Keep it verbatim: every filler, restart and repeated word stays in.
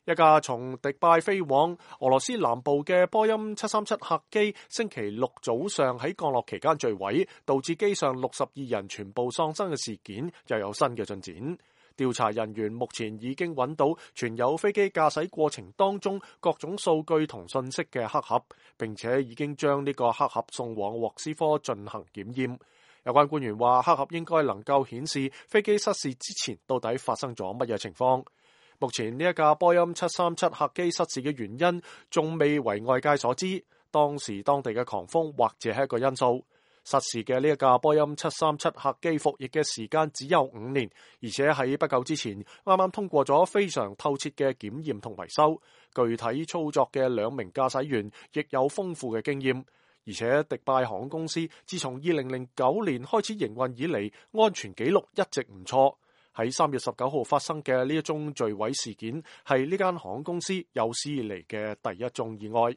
一架從迪拜飛往俄羅斯南部嘅波音七三七客機，星期六早上喺降落期間墜毀，導致機上六十二人全部喪生嘅事件又有新嘅進展。調查人員目前已經揾到存有飛機駕駛過程當中各種數據同信息嘅黑盒，並且已經將呢個黑盒送往莫斯科進行檢驗。有關官員話，黑盒應該能夠顯示飛機失事之前到底發生咗乜嘢情況。目前呢一架波音七三七客機失事嘅原因仲未為外界所知，當時當地嘅狂風或者係一個因素。失事嘅呢一架波音七三七客機服役嘅時間只有五年，而且喺不久之前啱啱通過咗非常透徹嘅檢驗同維修，具體操作嘅兩名駕駛員亦有豐富嘅經驗。而且迪拜航空公司自從二零零九年開始營運以嚟，安全記錄一直唔錯。喺三月十九號發生嘅呢一宗墜毀事件，係呢間航空公司有史以嚟嘅第一宗意外。